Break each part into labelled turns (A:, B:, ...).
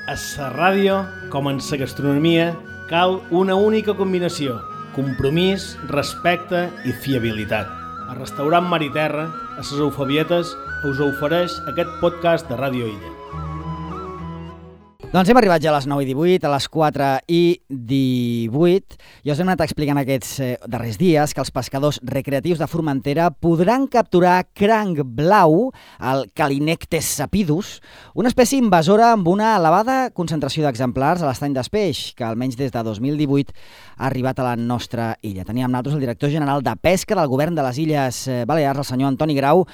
A: A la ràdio, com en la gastronomia, cal una única combinació: compromís, respecte i fiabilitat. El restaurant Mar i Terra, a les Eufebietes, us ofereix aquest podcast de Ràdio Illa.
B: Doncs hem arribat ja a les 9:18, a les 4:18. Ja us hem anat explicant aquests darrers dies que els pescadors recreatius de Formentera podran capturar cranc blau, el Calinectes sapidus, una espècie invasora amb una elevada concentració d'exemplars a l'estany d'Espeix, que almenys des de 2018 ha arribat a la nostra illa. Teníem nosaltres el director general de Pesca del Govern de les Illes Balears, el senyor Antoni Grau.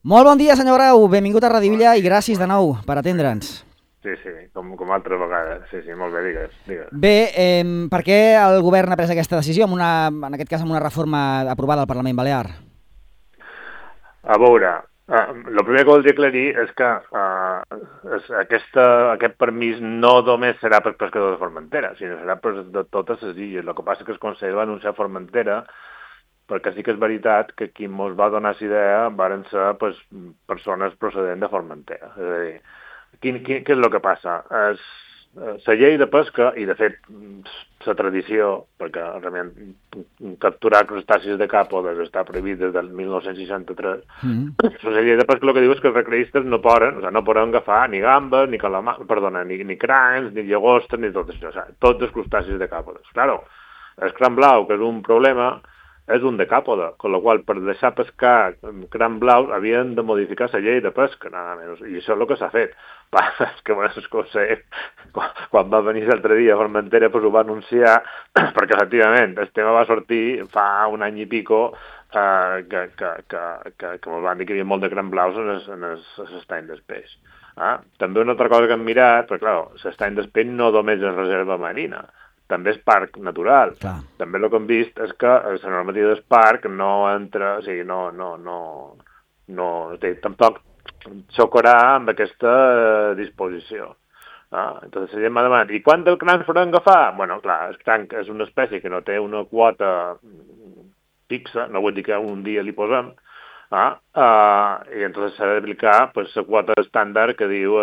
B: Molt bon dia, senyor Grau, benvingut a Ràdio Illa i gràcies de nou per atendre'ns.
C: Sí, com altres vegades. Sí, molt bé, digues.
B: Bé, per què el govern ha pres aquesta decisió, en aquest cas amb una reforma aprovada al Parlament Balear?
C: A veure, el primer que voldria aclarir és que aquest permís no només serà per pescadors de Formentera, sinó serà per de totes les illes. El que passa és que el Consell va anunciar Formentera perquè sí que és veritat que qui ens va donar aquesta idea varen ser persones procedents de Formentera. És a dir, què és el que passa? La llei de pesca, i de fet la tradició, perquè realment capturar crustacis de càpodes està prohibit des del 1963, la llei de pesca el que diu és que els recreistes no poden agafar ni gambes, ni crancs, ni llagostes, ni tot això, tots els crustacis de càpodes. Claro, el cranc blau, que és un problema, és un decàpode, amb la qual per deixar pescar cranc blau havien de modificar la llei de pesca, nada menys, i això és el que s'ha fet. És que quan va venir l'altre dia a Formentera ho va anunciar, perquè efectivament el tema va sortir fa un any i pico que ens van dir que hi havia molt de cranc blaus en l'estany d'Espeix. També una altra cosa que hem mirat, perquè clar, l'estany d'Espeix no només és reserva marina, també és parc natural.
B: Clar.
C: També el que hem vist és que la normativa del parc no entra, o sigui, tampoc xocarà amb aquesta disposició. Entonces la gent m'ha demanat, i quant del cranc podem agafar? Bueno, clar, el cranc és una espècie que no té una quota fixa, no vull dir que un dia li posem, i entonces s'ha d'aplicar la quota estàndard que diu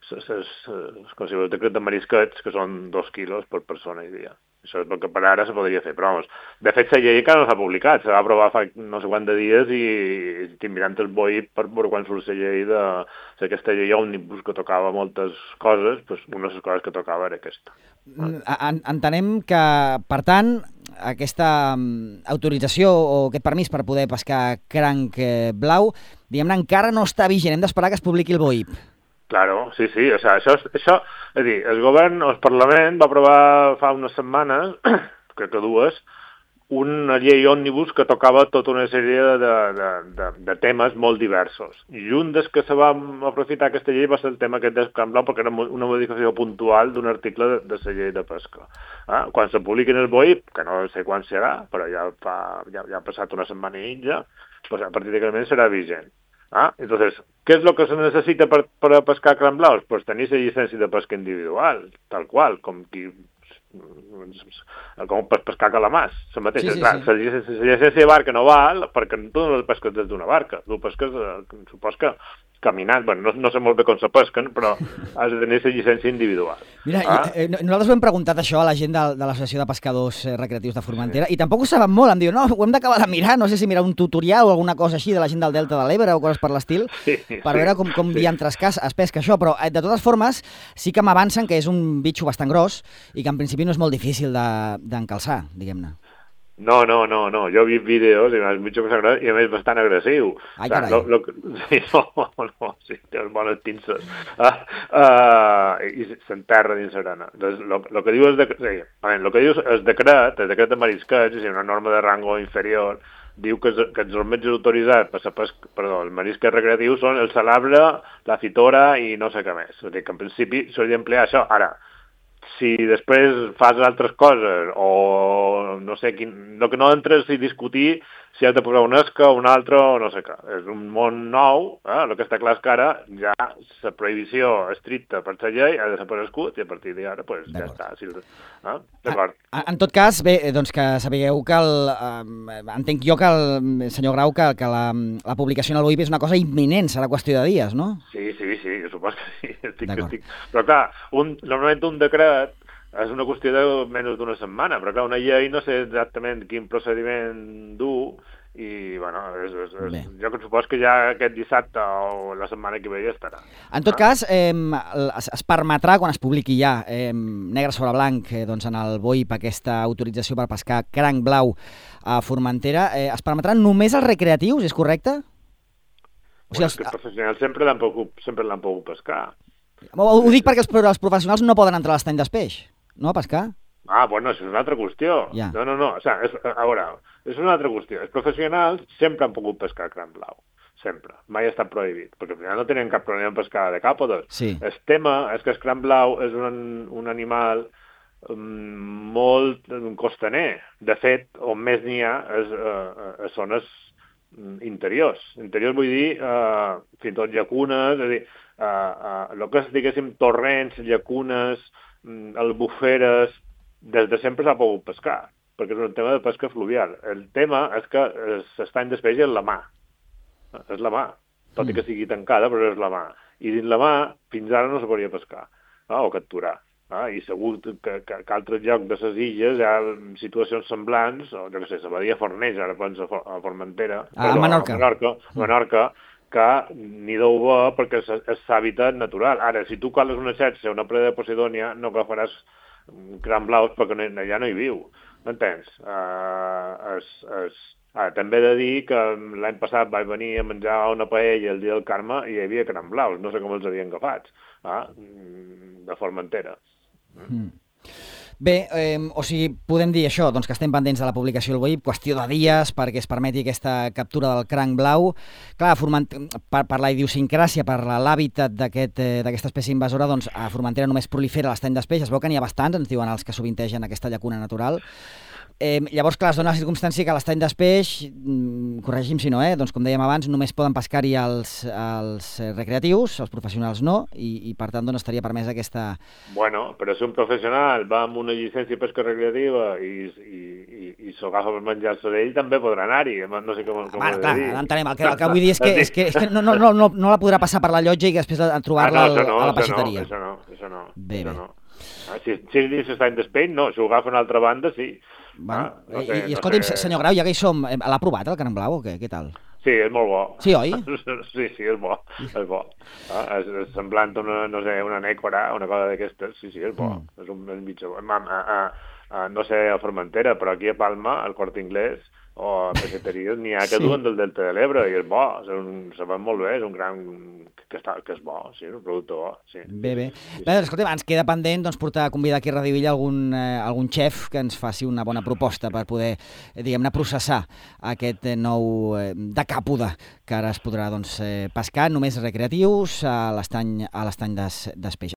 C: com si el decret de marisquets, que són 2 quilos per persona i dia. Això és el que per ara se podria fer, però de fet la llei encara no s'ha publicat, se va aprovar fa no sé quant de dies i estic mirant el boi per veure quan surt la llei d'aquesta llei òmnibus que tocava moltes coses, una de les coses que tocava era aquesta.
B: Entenem que, per tant, aquesta autorització o aquest permís per poder pescar cranc blau, diguem-ne, encara no està vigent, hem d'esperar que es publiqui el BOIP.
C: Claro, sí, o sea, això, és a dir, el govern, el Parlament va aprovar fa unes setmanes, crec que 2, una llei òmnibus que tocava tota una sèrie de temes molt diversos. I un dels que se va aprofitar aquesta llei va ser el tema aquest del cranc blau, perquè era una modificació puntual d'un article de la llei de pesca. Quan se publiqui en el BOIP, que no sé quan serà, però ja ha passat una setmana i mitja, a partir d'aquell moment serà vigent. Entonces, ¿qué es lo que se necesita para pescar cranc blaus? Pues tenir la llicència de pesca individual, tal qual, com per pescar calamars. La llicència de barca no val perquè tu no pesques des d'una barca, tu pesques, supos que caminant, bueno, no sé molt bé com se pesquen, però has de tenir la llicència individual.
B: Mira, nosaltres ho hem preguntat això a la gent de l'Associació de Pescadors Recreatius de Formentera i tampoc ho saben molt, em diuen, no, ho hem d'acabar de mirar, no sé si mirar un tutorial o alguna cosa així de la gent del Delta de l'Ebre o coses per l'estil, per veure com diantres es pesca això, però de totes formes sí que m'avancen que és un bitxo bastant gros i que en principi no és molt difícil d'encalçar, diguem-ne.
C: No, jo he vist vídeos i m'has mitja cosa i a més bastant agressiu.
B: Ai, carai.
C: Sí, té bones pinces. I s'enterra dins l'arena. El que diu el decret de marisquets, és una norma de rango inferior, diu que els metges autoritzats el marisquet recreatiu són el salabre, la fitora i no sé què més. O sigui que en principi s'hauria d'emplear això. Ara, si després fas altres coses o no sé, el que no entres i discutir si has de posar una esca o una altra o no sé què. És un món nou, el que està clar és que ara ja la prohibició estricta per la llei ha desaparegut i a partir d'ara ja està. D'acord.
B: En tot cas, bé, doncs que sapigueu que entenc jo que el senyor Grau que la publicació en el BOIP és una cosa imminent, serà qüestió de dies, no?
C: Sí, sí, supos que sí. Però clar, normalment un decret és una qüestió de menys d'una setmana, però clar, una llei no sé exactament quin procediment dur, i bueno, jo que supos que ja aquest dissabte o la setmana que ve ja estarà.
B: En tot cas, es permetrà, quan es publiqui ja negre sobre blanc doncs en el BOIP aquesta autorització per pescar cranc blau a Formentera, es permetran només els recreatius, és correcte?
C: O sigui, els professionals sempre l'han pogut pescar.
B: Ho dic perquè els professionals no poden entrar a l'estany d'espeix, no, a pescar?
C: Bueno, això és una altra qüestió.
B: Ja.
C: No. O sigui, a veure, és una altra qüestió. Els professionals sempre han pogut pescar cranc blau. Sempre. Mai ha estat prohibit. Perquè al final no tenen cap problema en pescar de càpodes.
B: Sí.
C: El tema és que el cranc blau és un animal molt costaner. De fet, on més n'hi ha és a zones interiors. Interiors vull dir fins i tot llacunes, és a dir, el que és, diguéssim, torrents, llacunes, albuferes, des de sempre s'ha pogut pescar, perquè és un tema de pesca fluvial. El tema és que s'estany d'espècie és la mà. És la mà, tot i que sigui tancada, però és la mà. I dins la mà, fins ara no se podia pescar, o capturar. I segur que altres llocs de les illes hi ha situacions semblants, o jo què sé, la badia Fornells, ara penso a Formentera,
B: a
C: Menorca, que n'hi deu bo perquè és l'hàbitat natural. Ara, si tu coles una xarxa, una preda de Posidònia, no agafaràs cranc blaus perquè allà no hi viu, m'entens? També he de dir que l'any passat vaig venir a menjar una paella el dia del Carme i hi havia cranc blaus, no sé com els havien agafat, de Formentera.
B: Bé, o sigui, podem dir això, doncs que estem pendents de la publicació del BOIP, qüestió de dies perquè es permeti aquesta captura del cranc blau. Clar, per la idiosincràsia, per l'hàbitat d'aquesta espècie invasora, doncs a Formentera només prolifera l'estany d'espeix. Es veu que n'hi ha bastants, ens diuen els que sovintegen aquesta llacuna natural. Llavors, clar, es dona la circumstància que a l'estany d'espeix, corregi'm si no, doncs com dèiem abans, només poden pescar-hi els recreatius, els professionals no, i per tant doncs, estaria permesa aquesta...
C: Bueno, però si un professional va amb una llicència de pesca recreativa i s'ho agafa per menjar-se d'ell, també podrà anar-hi, no sé com ho he de dir.
B: Entenem, el que vull dir és que no la podrà passar per la llotja i després trobar-la a la peixateria.
C: Això no.
B: Bé.
C: Si és dins l'estany d'espeix, no, si ho agafa a una altra banda, sí.
B: Bueno, escolti'm, senyor Grau, ja que hi som, l'ha provat el cranc blau o què? Què tal?
C: Sí, és molt bo.
B: Sí, oi?
C: Sí, és bo. És semblant a una nècora, una cosa d'aquestes. Sí, és bo. És un mitjà bo. No sé a Formentera, però aquí a Palma, al Corte Inglés, o a peixateries, n'hi ha que duen del Delta de l'Ebre, i és bo. Se va molt bé, és un gran... que és bo, sí, és un producte bo. Sí.
B: Bé. Escolta, ens queda pendent convidar aquí a Radio Villa algun xef que ens faci una bona proposta per poder, diguem-ne, processar aquest nou decàpode que ara es podrà pescar només recreatius a l'estany d'espeix.